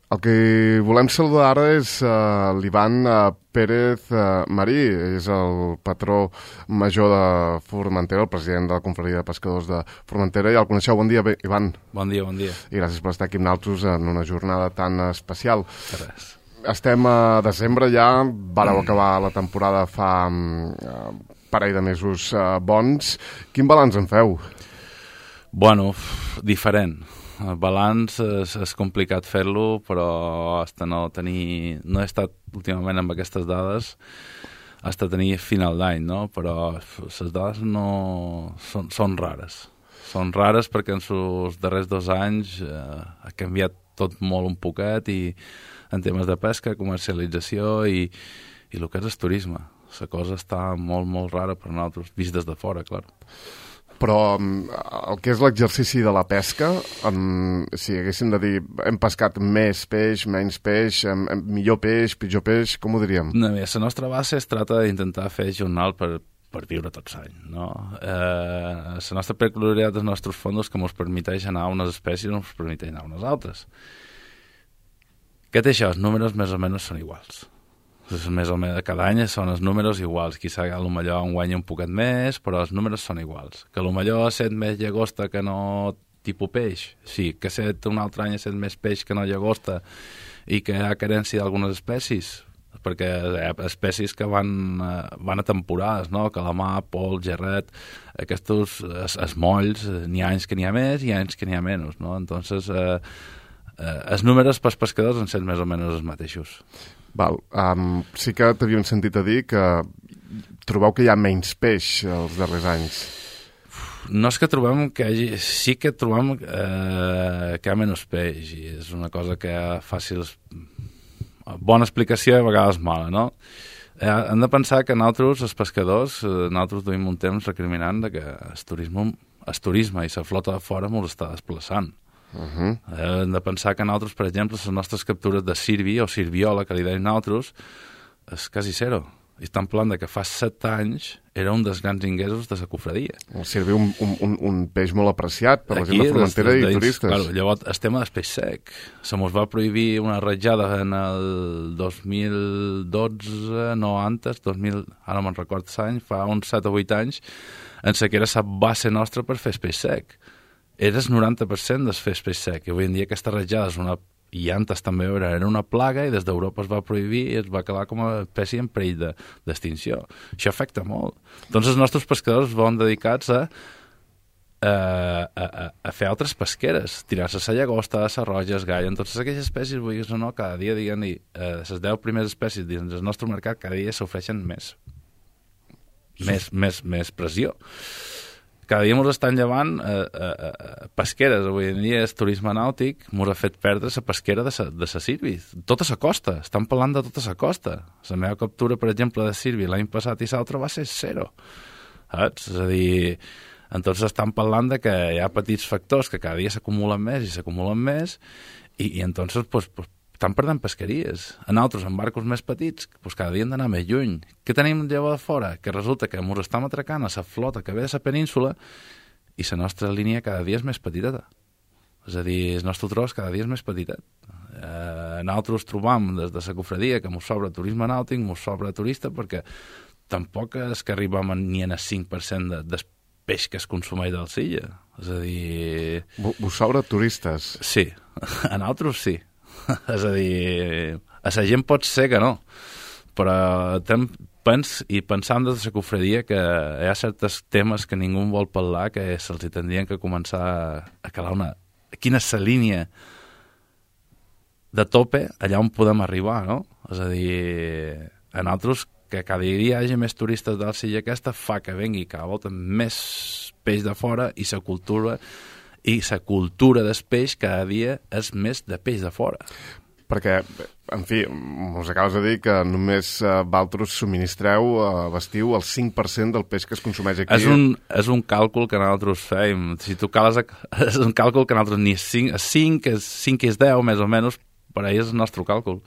El que volem saludar ara és l'Ivan Pérez Marí, és el patró major de Formentera, el president de la Confraria de Pescadors de Formentera. Ja el coneixeu. Bon dia, Ivan. Bon dia, bon dia. I gràcies per estar aquí amb nosaltres en una jornada tan especial. Res. Estem a desembre ja, vareu acabar la temporada fa parell de mesos bons. Quin balanç en feu? Bueno, diferent. El balanç és complicat fer-lo, però hasta no he estat últimament amb aquestes dades hasta tenir final d'any, no? Però les dades no són rares. Són rares perquè en els darrers 2 anys ha canviat tot molt un poquet i en temes de pesca, comercialització i el que és el turisme. La cosa està molt, molt rara per nosaltres, vist des de fora, clar. Però el que és l'exercici de la pesca, si haguéssim de dir hem pescat més peix, menys peix, millor peix, pitjor peix, com ho diríem? No, la nostra base es tracta d'intentar fer jornal per viure tots l'any, no? La nostra peculiaritat dels nostres fondos que ens permeteix anar a unes espècies no ens permeteix anar a unes altres. Què té això? Els números més o menys són iguals. Més o menys cada any són els números iguals. Quizà potser en guanya un poquet més, però els números són iguals. Que potser ha set més llagosta que no tipus peix. Sí, que set un altre any ha set més peix que no llagosta i que hi ha carència d'algunes espècies, perquè hi ha espècies que van a temporades, no? Calamar, pol, gerret, aquests els molls, n'hi ha anys que n'hi ha més i anys que n'hi ha menys, no? Entonces, els números pels pescadors han set més o menys els mateixos. Val. Sí que t'havíem sentit a dir que trobeu que hi ha menys peix els darrers anys. No és que trobem que hi hagi... Sí que trobem que hi ha menys peix i és una cosa que fàcil... Bona explicació i a vegades mala, no? Hem de pensar que nosaltres, els pescadors, nosaltres duim un temps recriminant que el turisme i la flota de fora ens està desplaçant. Hem de pensar que nosaltres, per exemple, les nostres captures de sirvi o sirviola, que li deim nosaltres, és quasi zero. I estan parlant que fa 7 anys era un dels grans ingressos de la cofradia. El sirvi un peix molt apreciat per la gent de Formentera i turistes. Claro, llavors, el tema del peix sec. Se mos va prohibir una ratjada en el 2012, no antes, 2000, ara me'n record l'any, fa uns 7 o 8 anys, en la que era la base nostra per fer peix sec. Era el 90% del peix sec, i avui en dia aquesta ratjada és una... I antes també era una plaga i des d'Europa es va prohibir i es va quedar com a espècie en perill d'extinció. Això afecta molt. Doncs els nostres pescadors van dedicats a fer altres pesqueres, tirar-se a la llagosta, a la roja, a gall, en totes aquelles espècies, vull dir o no, cada dia, diguem-ne, les 10 primeres espècies dins del nostre mercat cada dia s'ofereixen més pressió. Cada dia ens estan llevant pesqueres. Avui en dia el turisme nàutic ens ha fet perdre la pesquera de la sirvi. Tota la costa. Estan parlant de tota la costa. La meva captura, per exemple, de sirvi l'any passat i l'altre va ser 0. Saps? És a dir, entonces estan parlant de que hi ha petits factors que cada dia s'acumulen més i entonces pues, estan perdent pesqueries. En altres, en barcos més petits, pues cada dia hem d'anar més lluny. Què tenim llavors de fora? Que resulta que ens estem atracant a la flota que ve de la península i la nostra línia cada dia és més petiteta. És a dir, el nostre tros cada dia és més petitet. Nosaltres trobam des de la cofradia que ens sobra turisme nàutic, ens sobra turista, perquè tampoc és que arribem ni en el 5% del peix que es consumeix de l'illa. És a dir... Vos sobra turistes? Sí, a nosaltres sí. És a dir, a la gent pot ser que no, però pensam des de la cofradia que hi ha certs temes que ningú vol parlar, que se'ls tindrien que començar a calar quina és la línia de tope allà on podem arribar, no? És a dir, a nosaltres que cada dia hi hagi més turistes de l'illa aquesta fa que vengui cada volta més peix de fora i la cultura del peix cada dia és més de peix de fora. Perquè, en fi, us acabes de dir que només vosaltres subministreu, vestiu el 5% del peix que es consumeix aquí. És un càlcul que nosaltres fem. Si tu cales, és un càlcul que nosaltres ni 5 és 10, més o menys, per a ells és el nostre càlcul.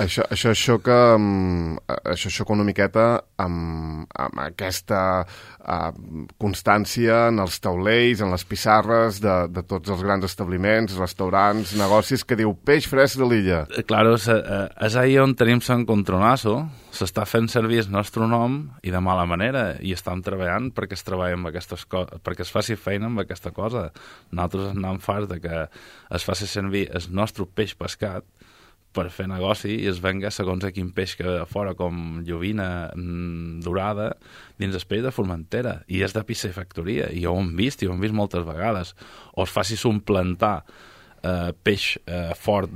Això xoca una miqueta amb aquesta constància en els taulells, en les pissarres de tots els grans establiments, restaurants, negocis, que diu peix fresc de l'illa. Claro, és ahí on tenim l'encontronasso, s'està fent servir el nostre nom i de mala manera, i estem treballant perquè es treballi amb aquestes coses, perquè es faci feina amb aquesta cosa. Nosaltres anem farts de que es faci servir el nostre peix pescat per fer negoci i es venga segons quin peix que ve de fora, com llovina dorada, dins el peix de Formentera. I és de piscifactoria, i ho hem vist moltes vegades. O es faci suplantar peix fort,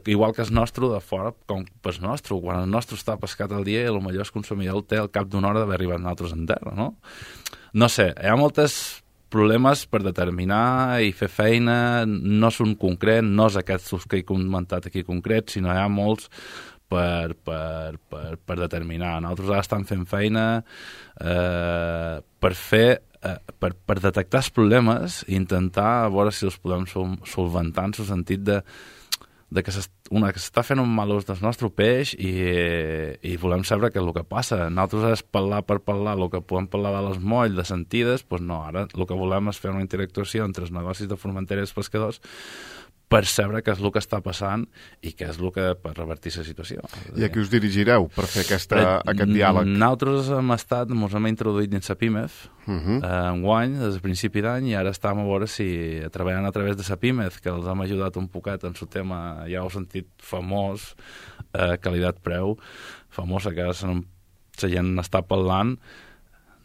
igual que el nostre, de fora, com el nostre. Quan el nostre està pescat al dia, potser el consumidor el té al cap d'una hora d'haver arribat nosaltres en terra, no? No sé, hi ha moltes problemes per determinar i fer feina, no són concret, no és aquests que he comentat aquí concret, sinó hi ha molts per determinar. Nosaltres ara estem fent feina per detectar els problemes i intentar veure si els podem solventar en el sentit de que s'està fent un mal ús del nostre peix i volem saber què és el que passa. Nosaltres és parlar per parlar, el que podem parlar de les molls, de sentides, doncs no, ara el que volem és fer una interactuació entre els negocis de Formentera i els pescadors per saber què és el que està passant i què és el que per revertir la situació. I a qui us dirigireu per fer aquest diàleg? Nosaltres ens hem introduït dins la PIMEF enguany, des del principi d'any, i ara estem a veure si treballant a través de la PIMEF, que els hem ajudat un poquet en el tema, ja heu sentit, famós, qualitat-preu, famosa, que la gent n'està parlant.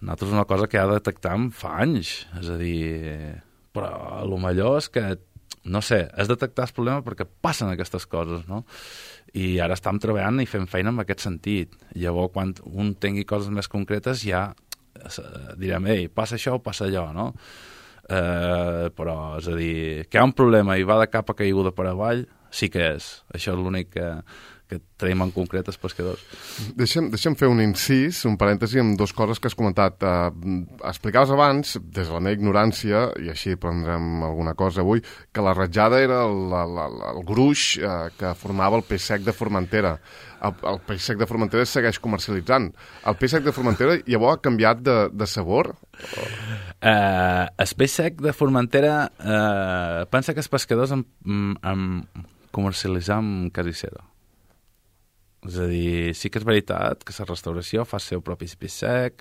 Nosaltres una cosa que ja detectam fa anys, és a dir, però el millor és que no sé, és detectar el problema perquè passen aquestes coses, no? I ara estem treballant i fent feina en aquest sentit. Llavors, quan un tingui coses més concretes, ja direm, ei, passa això o passa allò, no? Però, és a dir, que hi ha un problema i va de cap a caiguda per avall, sí que és. Això és l'únic que tenim en concret els pescadors. Deixa'm fer un incís, un parèntesi amb dues coses que has comentat. Explicaves abans, des de la meva ignorància, i així prendrem alguna cosa avui, que la ratjada era el gruix que formava el peix sec de Formentera. El peix sec de Formentera es segueix comercialitzant. El peix sec de Formentera llavors ha canviat de sabor? El peix sec de Formentera pensa que els pescadors comercialitzam quasi zero. És a dir, sí que és veritat que la restauració fa el seu propi peix sec,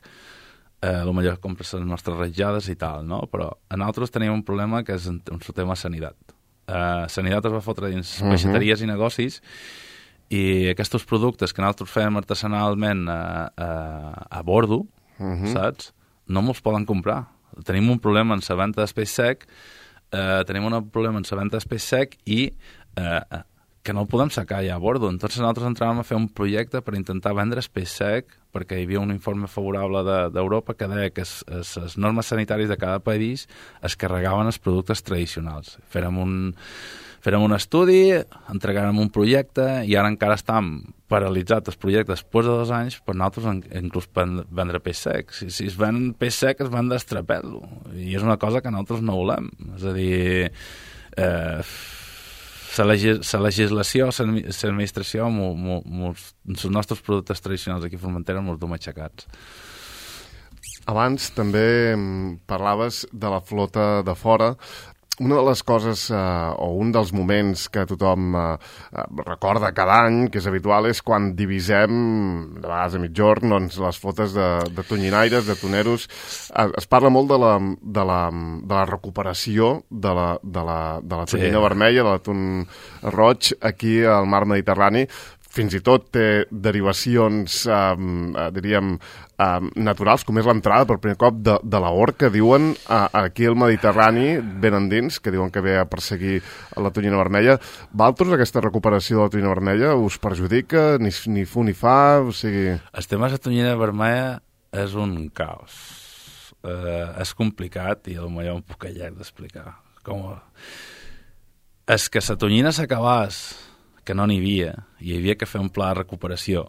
potser compra les nostres ratjades i tal, no? Però nosaltres tenim un problema que és un tema sanitat. Sanitat es va fotre dins peixateries i negocis, i aquests productes que nosaltres fem artesanalment a Bordo, saps? No me'ls poden comprar. Tenim un problema en la venda d'espeix sec, i que no el podem sacar ja a Bordo. Entonces nosaltres entràvem a fer un projecte per intentar vendre peix sec, perquè hi havia un informe favorable d'Europa que deia que les normes sanitàries de cada país es carregaven els productes tradicionals. Fèrem un estudi, entregàrem un projecte, i ara encara estem paralitzats els projectes després de 2 anys, per nosaltres inclús vendre peix sec. Si es ven peix sec, es ven d'estrapel·lo, i és una cosa que nosaltres no volem. És a dir, la legislació, l'administració, els nostres productes tradicionals aquí a Formentera ens duen aixecats. Abans també parlaves de la flota de fora. Una de les coses, o un dels moments que tothom recorda cada any, que és habitual, és quan divisem, de vegades a mitjorn, doncs, les flotes de tonyinaires, de toneros. Es parla molt de la recuperació de la tonyina vermella, de l'atún roig, aquí al mar Mediterrani. Fins i tot té derivacions, diríem, naturals, com és l'entrada per primer cop de l'or, que diuen aquí al Mediterrani, ben endins, que diuen que ve a perseguir la tonyina vermella. Valtros, aquesta recuperació de la tonyina vermella, us perjudica? Ni fu ni fa? O sigui... El tema de la tonyina vermella és un caos. És complicat i potser un poc llarg d'explicar. És que la tonyina s'acabàs, que no n'hi havia que fer un pla de recuperació.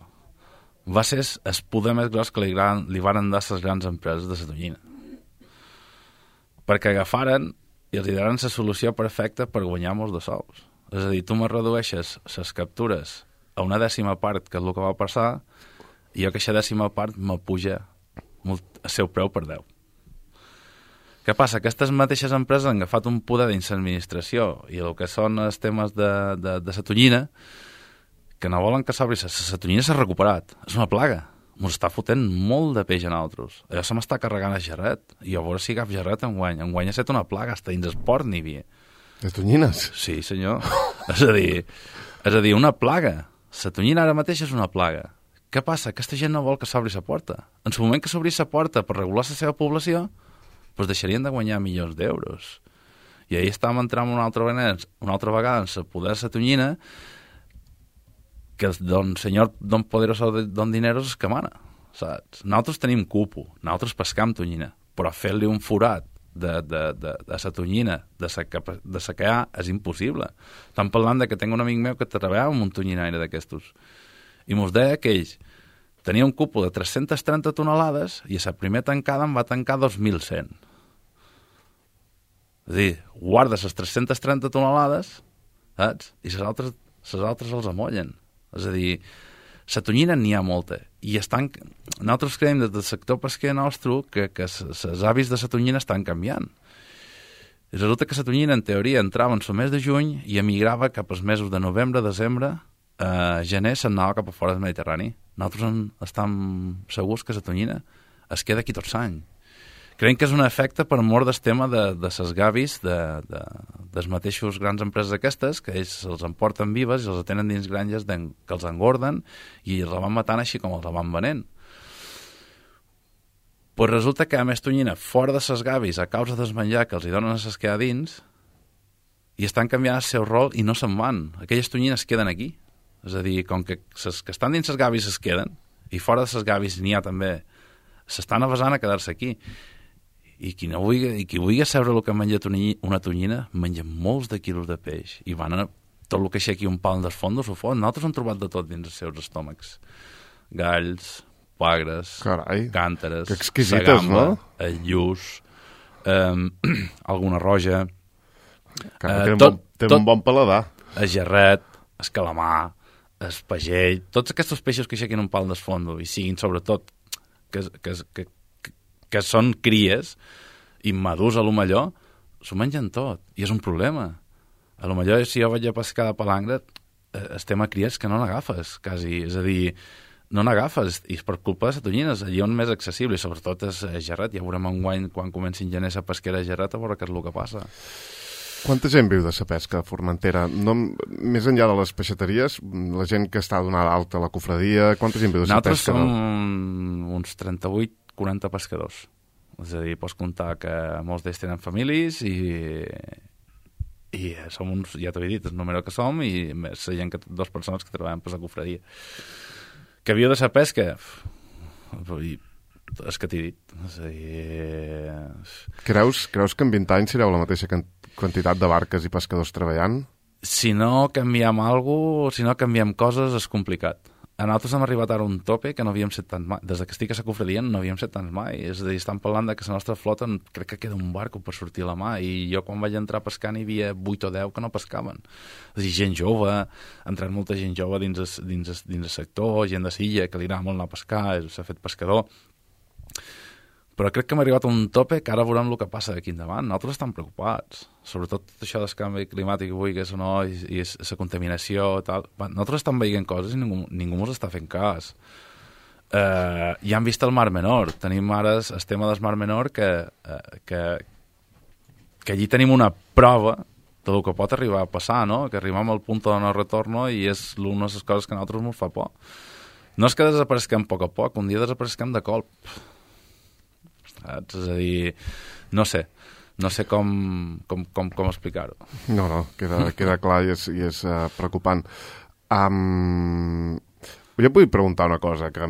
Va ser el poder més gros que li van dar les grans empreses de la tonyina. Perquè agafaren i els donaren la solució perfecta per guanyar molts de sous. És a dir, tu me redueixes les captures a una dècima part, que és el que va passar, i jo que aquesta dècima part me puja el seu preu per 10. Què passa? Aquestes mateixes empreses han agafat un poder d'inadministració i el que són els temes de la tonyina, que no volen que s'obri. La tonyina s'ha recuperat. És una plaga. Ens està fotent molt de peix a nosaltres. Allò se m'està carregant el gerret. I a veure si agaf gerret enguany. Enguany ha estat una plaga, hasta dins el port n'hi havia. Les tonyines? Sí, senyor. és a dir, una plaga. La tonyina ara mateix és una plaga. Què passa? Aquesta gent no vol que s'obri la porta. En el moment que s'obri la porta per regular la seva població, doncs deixarien de guanyar milions d'euros. I ahir estàvem entrant una altra vegada en el poder de la tonyina, que el senyor Don Poderoso Don Dinero és el que mana, saps? Nosaltres tenim cupo, nosaltres pescam tonyina, però fer-li un forat de la tonyina, de saquear, és impossible. Estan parlant que tinc un amic meu que treballava amb un tonyinaire d'aquestos, i mos deia que ells tenia un cupo de 330 tonelades i a la primera tancada em va tancar 2.100. És a dir, guarda les 330 tonelades, saps? I les altres els amollen. És a dir, la tonyina n'hi ha molta. I nosaltres creiem des del sector pesquer nostre que els hàbits de la tonyina estan canviant. I resulta que la tonyina, en teoria, entrava en el mes de juny i emigrava cap als mesos de novembre, desembre, a gener se'n anava cap a fora del Mediterrani. Nosaltres estem segurs que la tonyina es queda aquí tot l'any. Creiem que és un efecte per mort del tema de les gavis dels mateixos grans empreses aquestes, que ells els emporten vives i els tenen dins granges que els engorden i els van matant així com els van venent. Pues resulta que hi ha més tonyina fora de les gavis a causa del menjar que els hi donen a les que hi ha dins i estan canviant el seu rol i no se'n van. Aquelles tonyines queden aquí. És a dir, com que les que estan dins les gavis es queden, i fora de les gavis n'hi ha també, s'estan avasant a quedar-se aquí. I qui vulgui saber el que menja una tonyina, menja molts de quilos de peix, i van a tot el que aixequi un pal dels fondos ho fot. Nosaltres hem trobat de tot dins els seus estómacs. Galls, pagres, cànteres, sagamba, el lluç, alguna roja... Té un bon paladar. El gerret, el calamar, el pagell, tots aquests peixos que aixequin un pal del fondo i siguin sobretot que són cries immadurs a lo millor, s'ho mengen tot i és un problema. A lo millor si jo vaig a pescar de palangre el tema cries que no n'agafes quasi, és a dir, no n'agafes i és per culpa de la tonyina, és allà on més accessible i sobretot és gerret. Ja veurem enguany quan comencin gener la pesquera de gerret a veure què és el que passa. Quanta gent viu de la pesca a Formentera? Més enllà de les peixateries, la gent que està donada alta a la cofradia, quanta gent viu de la pesca? Nosaltres som uns 38-40 pescadors. És a dir, pots comptar que molts d'ells tenen famílies i som uns, ja t'ho he dit, el número que som i més la gent dues persones que treballen per la cofradia. Que viu de la pesca? És que t'he dit. És a dir... Creus que en 20 anys sereu la mateixa quantitat de barques i pescadors treballant? Si no canviem alguna cosa, si no canviem coses, és complicat. A nosaltres hem arribat ara a un tope que no havíem set tant mai. Des que estic a la cofradia no havíem set tant mai. És a dir, estan parlant que la nostra flota crec que queda un barco per sortir a la mà i jo quan vaig entrar pescant hi havia 8 o 10 que no pescaven. És a dir, gent jove, ha entrat molta gent jove dins el sector, gent de Silla que li agrada molt anar a pescar, s'ha fet pescador. Però crec que hem arribat a un tope que ara veurem el que passa d'aquí endavant. Nosaltres estem preocupats, sobretot tot això del canvi climàtic que vulguis o no, i la contaminació i tal. Nosaltres estem veient coses i ningú ens està fent cas. Ja hem vist el Mar Menor. Tenim ara el tema del Mar Menor que allí tenim una prova del que pot arribar a passar, no? Que arribem al punt de no retorno i és una de les coses que a nosaltres ens fa por. No és que desaparesquem a poc, un dia desaparesquem de colp. Saps? És a dir, no sé com explicar-ho. No, queda clar i és preocupant. Jo vull preguntar una cosa que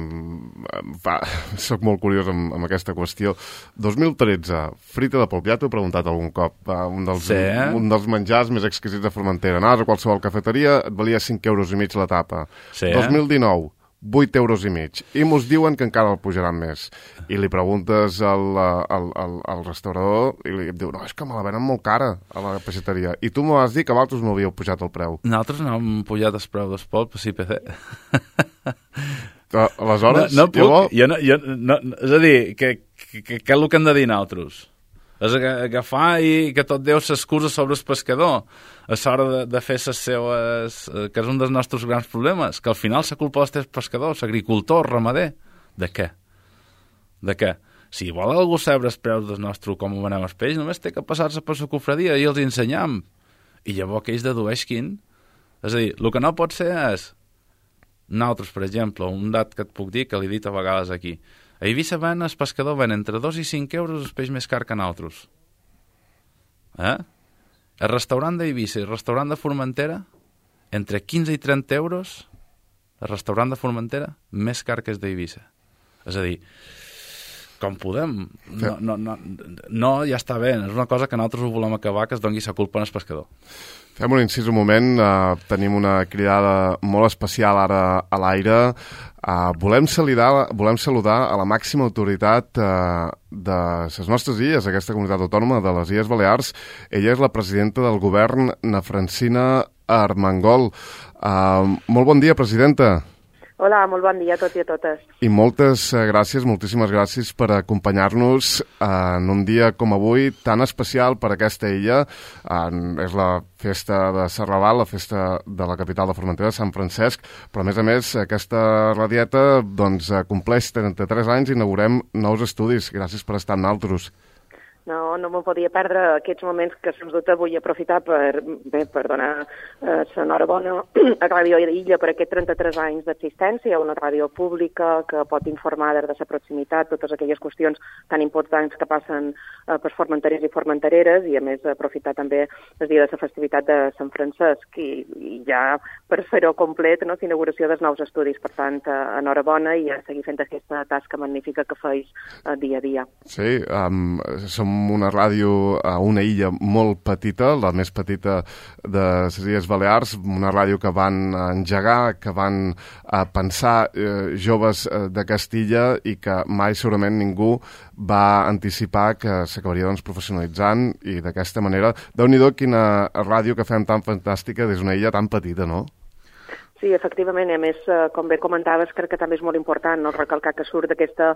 soc molt curiós amb aquesta qüestió. 2013, frita de polp, ja t'ho he preguntat algun cop, un dels menjars més exquisits de Formentera. Anaves a qualsevol cafeteria, et valia 5,5 € la tapa. 2019, 8,5 €. I mos diuen que encara el pujaran més. I li preguntes al restaurador i li diu, no, és que me la venen molt cara a la peixateria. I tu m'ho vas dir que vosaltres no havíeu pujat el preu. Nosaltres no hem pujat el preu del polp, sí, PC. Aleshores, no puc, és a dir, que és el que hem de dir nosaltres. És agafar i que tot Déu s'excusa sobre el pescador a l'hora de fer les seues... que és un dels nostres grans problemes, que al final la culpa dels pescadors, agricultor, ramader. De què? De què? Si vol algú saber els preus del nostre com ho venem el peix, només té que passar-se per la cofradia i els ensenyam. I llavors que ells dedueixin. És a dir, el que no pot ser és... Nosaltres, per exemple, un dat que et puc dir, que l'he dit a vegades aquí. A Eivissa el pescador ven entre 2 i 5 € el peix més car que nosaltres. El restaurant d'Eivissa i el restaurant de Formentera, entre 15 i 30 €, el restaurant de Formentera, més car que és d'Eivissa. És a dir, com podem? No, ja està bé, és una cosa que nosaltres ho volem acabar, que es doni la culpa al pescador. Fem un incís un moment, tenim una cridada molt especial ara a l'aire. Volem saludar a la màxima autoritat de les nostres illes, aquesta comunitat autònoma de les Illes Balears. Ella és la presidenta del govern, na Francina Armengol. Molt bon dia, presidenta. Hola, molt bon dia a tots i a totes. I moltíssimes gràcies per acompanyar-nos en un dia com avui tan especial per a aquesta illa. És la festa de Serrabal, la festa de la capital de Formentera, Sant Francesc, però a més aquesta radieta compleix 33 anys i inaugurem nous estudis. Gràcies per estar amb nosaltres. No m'ho podia perdre aquests moments que, sens dubte, vull aprofitar per donar l'enhorabona a Ràdio Illa per aquests 33 anys d'existència, una ràdio pública que pot informar des de la proximitat totes aquelles qüestions tan importants que passen per formenterers i formentereres, i a més aprofitar també el dia de la festivitat de Sant Francesc i ja per fer-ho complet, l'inauguració dels nous estudis. Per tant, enhorabona i a seguir fent aquesta tasca magnífica que feis dia a dia. Sí, som una ràdio a una illa molt petita, la més petita de les Illes Balears, una ràdio que van engegar, que van pensar joves de Castilla i que mai segurament ningú va anticipar que s'acabaria professionalitzant, i d'aquesta manera, Déu-n'hi-do quina ràdio que fem tan fantàstica des d'una illa tan petita, no? Sí, efectivament, i a més, com bé comentaves, crec que també és molt important recalcar que surt d'aquesta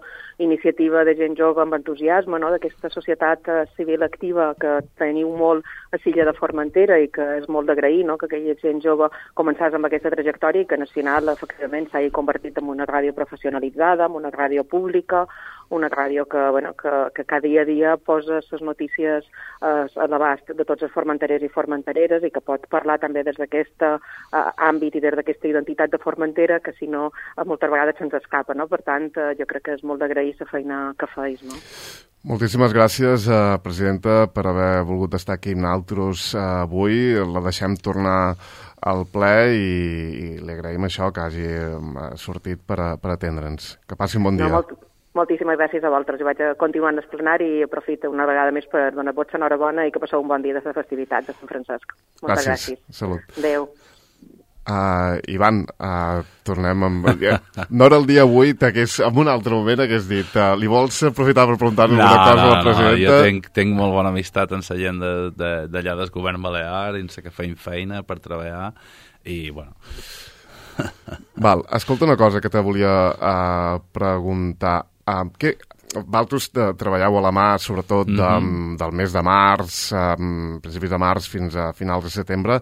iniciativa de gent jove amb entusiasme, d'aquesta societat civil activa que teniu molt a l'illa de Formentera i que és molt d'agrair, que aquella gent jove començés amb aquesta trajectòria i que al final, efectivament, s'hagi convertit en una ràdio professionalitzada, en una ràdio pública, una ràdio que cada dia posa les notícies a l'abast de tots els formenterers i formentereres i que pot parlar també des d'aquest àmbit i des d'aquesta identitat de Formentera que, si no, moltes vegades se'ns escapa, no? Per tant, jo crec que és molt d'agrair la feina que feis, no? Moltíssimes gràcies, presidenta, per haver volgut estar aquí amb nosaltres avui. La deixem tornar al ple i li agraïm això, que hagi sortit per atendre'ns. Que passi un bon dia. Moltíssimes gràcies a vosaltres. Jo vaig a continuar en el plenari i aprofito una vegada més per donar-vos l'enhorabona i que passeu un bon dia de la festivitat de Sant Francesc. Moltes gràcies. Salut. Adéu. Ivan, tornem amb... No era el dia 8, en un altre moment hagués dit li vols aprofitar per preguntar-nos una cosa a la presidenta? Jo tinc molt bona amistat amb la gent d'allà del govern balear, i sé que feim feina per treballar i, bueno... Val, escolta una cosa que te volia preguntar. Vosaltres treballeu a la mà, sobretot del mes de març, principis de març fins a finals de setembre.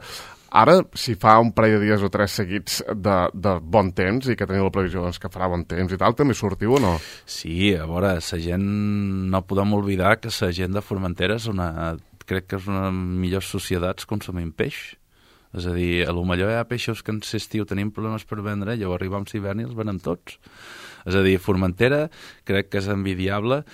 Ara, si fa un parell de dies o 3 seguits de bon temps i que teniu la previsió que farà bon temps i tal, també sortiu o no? Sí, a veure, la gent, no podem oblidar que la gent de Formentera crec que és una de les millors societats consumint peix. És a dir, a lo millor hi ha peixos que en l'estiu tenim problemes per vendre, llavors arribem a l'hivern i els venem tots. És a dir, Formentera crec que és envidiable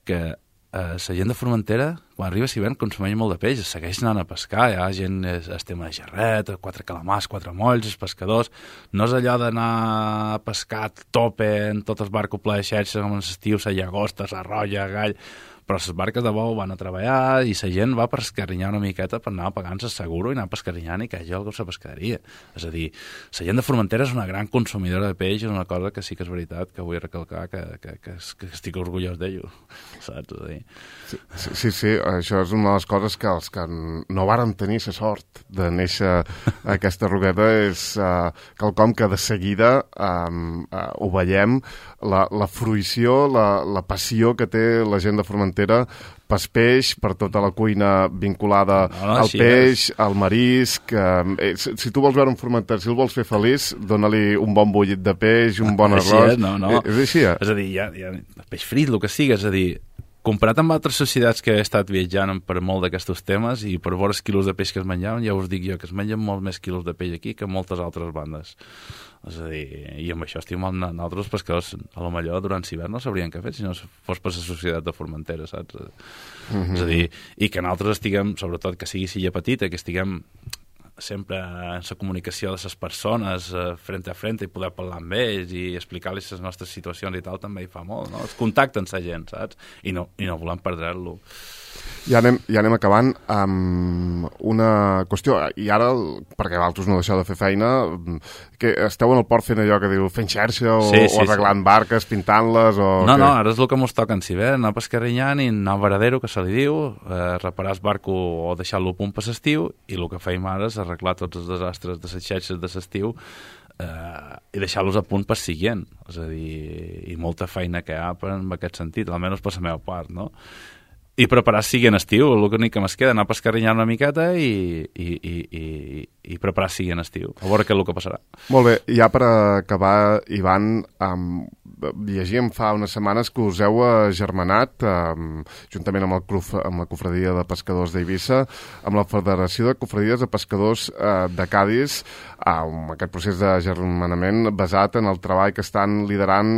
que la gent de Formentera, quan arriba a l'hivern, consumeix molt de peix, segueix anant a pescar, hi ha gent, el tema de gerret, 4 calamars, 4 molls, els pescadors, no és allò d'anar a pescar a tope en tot el barco ple de xerxes, com en l'estiu, la llagosta, la roja, gall, però les barques de bou van a treballar i la gent va pescarinyar una miqueta per anar pagant-se seguro i anar pescarinyant i que hi hagi alguna cosa a pescaderia. És a dir, la gent de Formentera és una gran consumidora de peix, és una cosa que sí que és veritat, que vull recalcar, que estic orgullós d'ells, saps? És a dir... Sí, això és una de les coses que els que no varen tenir la sort de néixer a aquesta roqueta és quelcom que de seguida ho veiem, la fruïció, la passió que té la gent de Formentera pel peix, per tota la cuina vinculada al peix, al marisc. Si tu vols veure un formentera, si el vols fer feliç, dona-li un bon bullit de peix, un bon arròs. És així, És a dir, hi ha peix frit, el que sigui, és a dir, comparat amb altres societats que he estat viatjant per molt d'aquests temes i per veure els quilos de peix que es menjaven, ja us dic jo que es mengen molt més quilos de peix aquí que en moltes altres bandes. És a dir, i amb això estic molt en altres pescadors, a lo millor durant l'hivern no sabrien què fer si no fos per la societat de Formentera, saps? És a dir, i que nosaltres estiguem, sobretot que sigui silla petita, que estiguem sempre en la comunicació de les persones frente a frente i poder parlar amb ells i explicar-los les nostres situacions i tal també hi fa molt, no? El contacte amb la gent, saps? I no volem perdre-lo. Ja anem acabant amb una qüestió, i ara, perquè vosaltres no deixeu de fer feina, que esteu en el port fent allò que diu fent xarxa o arreglant barques, pintant-les o... No, ara és el que mos toca en l'hivern, anar pescarinyant i anar a varadero, que se li diu, reparar el barco o deixar-lo a punt per l'estiu, i el que feim ara és arreglar tots els desastres de les xarxes de l'estiu i deixar-los a punt per següent, és a dir, i molta feina que hi ha en aquest sentit, almenys per la meva part, no? I preparar siguent estiu, l'únic que m'es queda, anar a pescarinyar una miqueta i preparar siguent estiu, a veure què és el que passarà. Molt bé, ja per acabar, Ivan, llegíem fa unes setmanes que us heu agermanat, juntament amb la Cofradia de Pescadors d'Eivissa, amb la Federació de Cofradies de Pescadors de Cádiz, amb aquest procés d'agermanament basat en el treball que estan liderant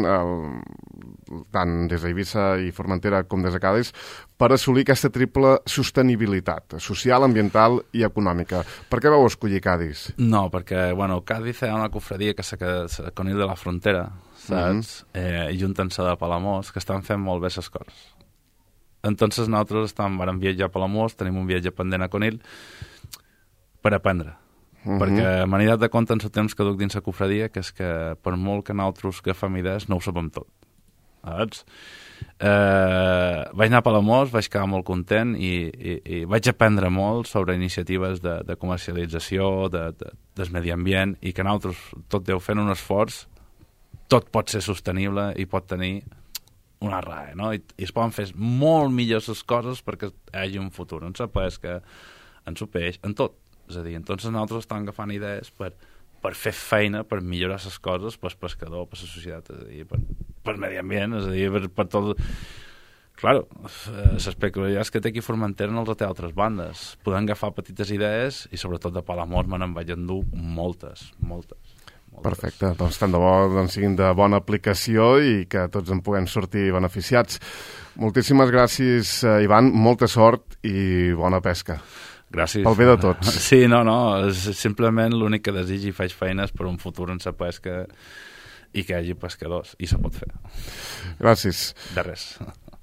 tant des d'Eivissa i Formentera com des de Cádiz, per assolir aquesta triple sostenibilitat social, ambiental i econòmica. Per què vau escollir Cádiz? No, perquè, Cádiz hi ha una cofradia que és a Conill de la Frontera, saps? Juntant-se de Palamós, que estan fent molt bé les coses. Entonces nosaltres vam viatjar a Palamós, tenim un viatge pendent a Conill, per aprendre. Perquè m'han donat de compte en el temps que duc dins la cofradia, que és que per molt que nosaltres agafem idees, no ho sabem tot. Saps? Vaig anar a Palamós, vaig quedar molt content i vaig aprendre molt sobre iniciatives de comercialització, del medi ambient, i que nosaltres, tot Déu fent un esforç, tot pot ser sostenible i pot tenir una RAE, no? I es poden fer molt millors les coses perquè hi hagi un futur en la pesca, en el peix, en tot. És a dir, entonces nosaltres estem agafant idees per fer feina, per millorar les coses pel pescador, per la societat, és a dir, per medi ambient, és a dir, per tot... Claro, les peculiaritats que té aquí Formentera no els té altres bandes. Podem agafar petites idees i sobretot de Palamós me n'en vaig endur moltes. Perfecte, doncs tant de bo siguin de bona aplicació i que tots en puguem sortir beneficiats. Moltíssimes gràcies, Ivan, molta sort i bona pesca. Gràcies. Pel bé de tots. Sí, no, simplement l'únic que desitgi i faig feines per un futur en la pesca i que hi hagi pescadors, i se pot fer. Gràcies. De res.